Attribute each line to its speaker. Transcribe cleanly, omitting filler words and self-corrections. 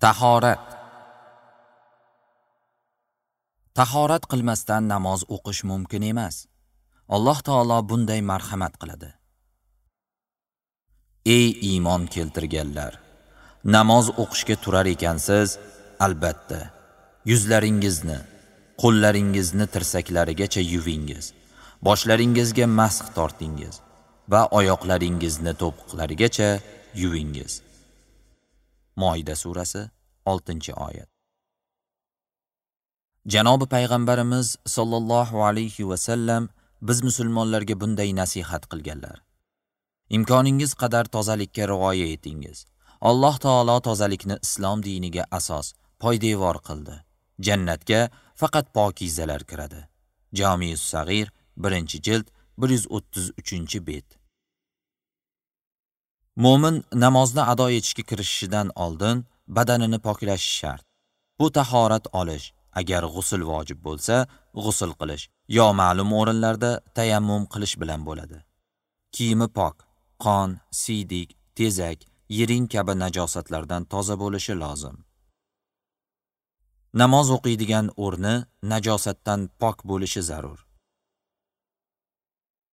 Speaker 1: Tahorat. Tahorat qilmasdan namoz o'qish mumkin emas. Alloh taolo bunday marhamat qiladi. Ey iymon keltirganlar, namoz o'qishga turar ekansiz, albatta yuzlaringizni, qo'llaringizni tirsaklarigacha yuvingiz, boshlaringizga masx tortingiz va oyoqlaringizni to'piqlarigacha yuvingiz. Moida surasi 6-oyat. Janobi payg'ambarimiz sollallohu alayhi va sallam biz musulmonlarga bunday nasihat qilganlar. Imkoningiz qadar tozalikka rioya etingiz. Alloh taolo tozalikni islom diniga asos, poydevor qildi. Jannatga faqat pokizalar kiradi. Jamius Sag'ir, 1-jild, 133-bet. Mo'min namozni ado etishga kirishishidan oldin badanini poklashi shart. Bu tahorat olish, agar g'usl vojib bo'lsa, g'usl qilish yo ma'lum o'rinlarda tayammum qilish bilan bo'ladi. Kiyimi pok, qon, siydik, tezak, yiring kabi najosatlardan toza bo'lishi lozim. Namoz o'qiydigan o'rni najosatdan pok bo'lishi zarur.